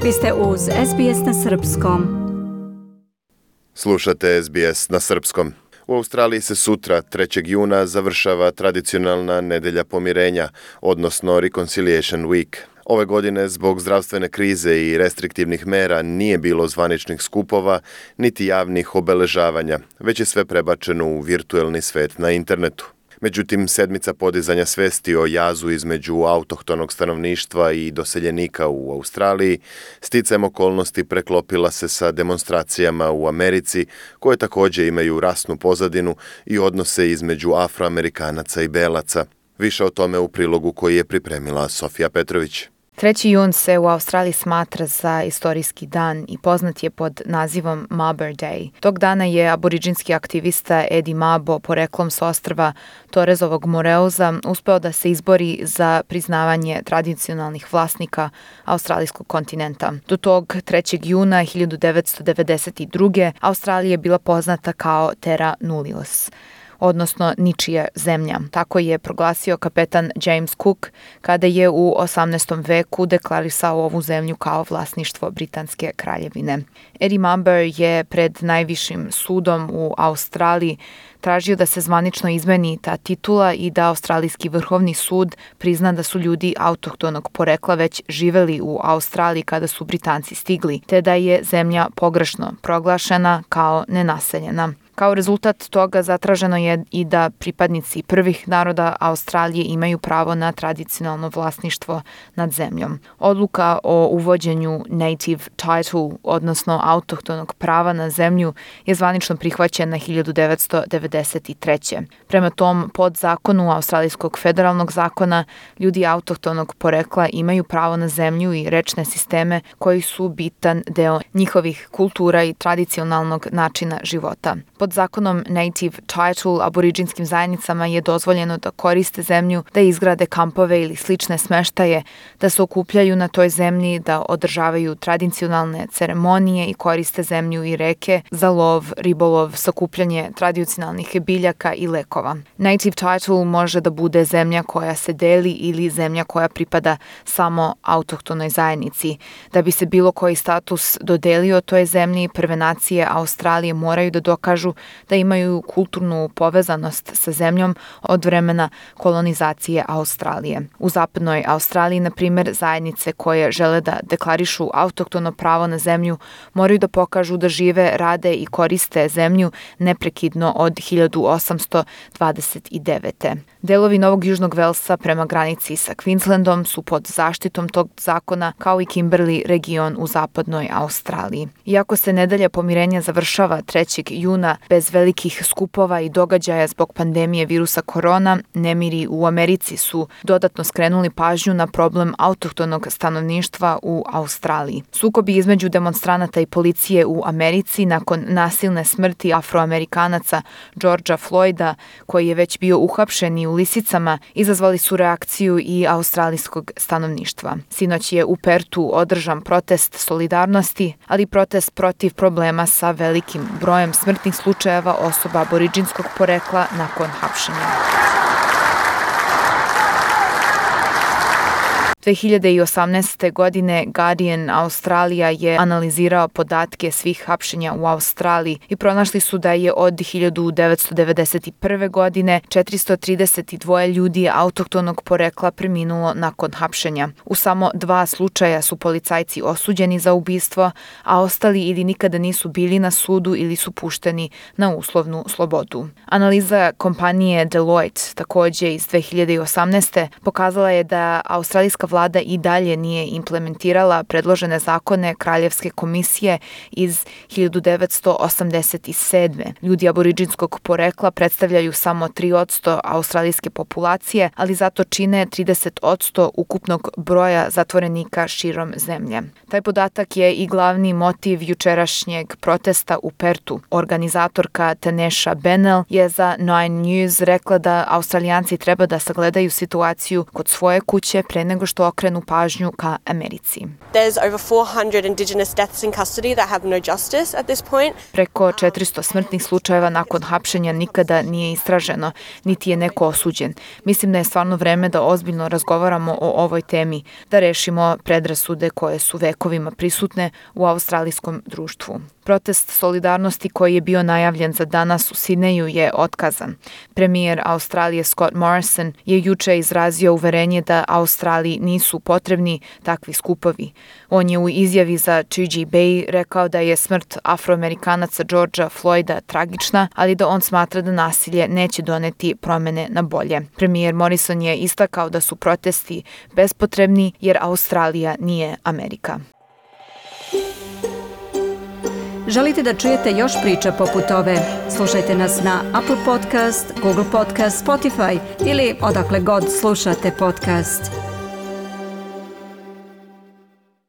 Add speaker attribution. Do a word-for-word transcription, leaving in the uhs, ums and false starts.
Speaker 1: Vi ste uz S B S na srpskom.
Speaker 2: Slušate S B S na srpskom. U Australiji se sutra, trećeg juna, završava tradicionalna nedelja pomirenja, odnosno Reconciliation Week. Ove godine, zbog zdravstvene krize i restriktivnih mera, nije bilo zvaničnih skupova, niti javnih obeležavanja, već je sve prebačeno u virtuelni svet na internetu. Međutim, sedmica podizanja svesti o jazu između autohtonog stanovništva i doseljenika u Australiji sticajem okolnosti preklopila se sa demonstracijama u Americi, koje također imaju rasnu pozadinu i odnose između Afroamerikanaca i Belaca. Više o tome u prilogu koji je pripremila Sofija Petrović.
Speaker 3: treći jun se u Australiji smatra za istorijski dan i poznat je pod nazivom Mabo Day. Tog dana je aboriđinski aktivista Eddie Mabo, poreklom s ostrva Torresovog Moreuza, uspeo da se izbori za priznavanje tradicionalnih vlasnika australijskog kontinenta. Do tog trećeg juna hiljadu devetsto devedeset druge. Australija je bila poznata kao Terra Nullius, odnosno ničija zemlja. Tako je proglasio kapetan James Cook kada je u osamnaestom veku deklarisao ovu zemlju kao vlasništvo Britanske kraljevine. Eddie Mabo je pred najvišim sudom u Australiji tražio da se zvanično izmeni ta titula i da Australijski vrhovni sud prizna da su ljudi autohtonog porekla već živeli u Australiji kada su Britanci stigli, te da je zemlja pogrešno proglašena kao nenaseljena. Kao rezultat toga zatraženo je i da pripadnici prvih naroda Australije imaju pravo na tradicionalno vlasništvo nad zemljom. Odluka o uvođenju native title, odnosno autohtonog prava na zemlju, je zvanično prihvaćena hiljadu devetsto devedeset treće. Prema tom podzakonu Australijskog federalnog zakona, ljudi autohtonog porekla imaju pravo na zemlju i rečne sisteme koji su bitan deo njihovih kultura i tradicionalnog načina života. Pod zakonom Native Title aboriđinskim zajednicama je dozvoljeno da koriste zemlju, da izgrade kampove ili slične smeštaje, da se okupljaju na toj zemlji, da održavaju tradicionalne ceremonije i koriste zemlju i reke za lov, ribolov, sakupljanje tradicionalnih biljaka i lekova. Native Title može da bude zemlja koja se deli ili zemlja koja pripada samo autohtonoj zajednici. Da bi se bilo koji status dodelio toj zemlji, prve nacije Australije moraju da dokažu da imaju kulturnu povezanost sa zemljom od vremena kolonizacije Australije. U zapadnoj Australiji, na primjer, zajednice koje žele da deklarišu autohtono pravo na zemlju moraju da pokažu da žive, rade i koriste zemlju neprekidno od hiljadu osamsto dvadeset devete. Delovi Novog Južnog Velsa prema granici sa Queenslandom su pod zaštitom tog zakona, kao i Kimberley region u zapadnoj Australiji. Iako se nedelja pomirenja završava trećeg juna bez velikih skupova i događaja zbog pandemije virusa korona, nemiri u Americi su dodatno skrenuli pažnju na problem autohtonog stanovništva u Australiji. Sukobi između demonstranata i policije u Americi nakon nasilne smrti Afroamerikanaca Georgea Floyda, koji je već bio uhapšen i u lisicama, izazvali su reakciju i australijskog stanovništva. Sinoć je u Pertu održan protest solidarnosti, ali protest protiv problema sa velikim brojem smrtnih slučajeva osoba aboriđinskog porekla nakon hapšenja. dve hiljade osamnaeste. godine Guardian Australija je analizirao podatke svih hapšenja u Australiji i pronašli su da je od hiljadu devetsto devedeset prve. godine četiristo trideset dva ljudi autohtonog porekla preminulo nakon hapšenja. U samo dva slučaja su policajci osuđeni za ubistvo, a ostali ili nikada nisu bili na sudu ili su pušteni na uslovnu slobodu. Analiza kompanije Deloitte, također iz dve hiljade osamnaeste. pokazala je da australijska vlada i dalje nije implementirala predložene zakone Kraljevske komisije iz hiljadu devetsto osamdeset sedme. Ljudi aboriđinskog porekla predstavljaju samo tri posto australijske populacije, ali zato čine trideset posto ukupnog broja zatvorenika širom zemlje. Taj podatak je i glavni motiv jučerašnjeg protesta u Pertu. Organizatorka Tanesha Bennell je za Nine News rekla da Australijanci treba da sagledaju situaciju kod svoje kuće pre nego što okrenu pažnju ka Americi.
Speaker 4: There's over four hundred indigenous deaths in custody that have no justice at this point.
Speaker 3: Preko četiristo smrtnih slučajeva nakon hapšenja nikada nije istraženo, niti je neko osuđen. Mislim da je stvarno vreme da ozbiljno razgovaramo o ovoj temi, da rešimo predrasude koje su vekovima prisutne u australijskom društvu. Protest solidarnosti koji je bio najavljen za danas u Sidneju je otkazan. Premijer Australije Scott Morrison je juče izrazio uverenje da Australiji nisu potrebni takvi skupovi. On je u izjavi za two G Bay rekao da je smrt Afroamerikanaca Georgea Floyda tragična, ali da on smatra da nasilje neće doneti promene na bolje. Premijer Morrison je istakao da su protesti bespotrebni jer Australija nije Amerika.
Speaker 1: Želite da čujete još priča poput ove? Slušajte nas na Apple Podcast, Google Podcast, Spotify ili odakle god slušate podcast.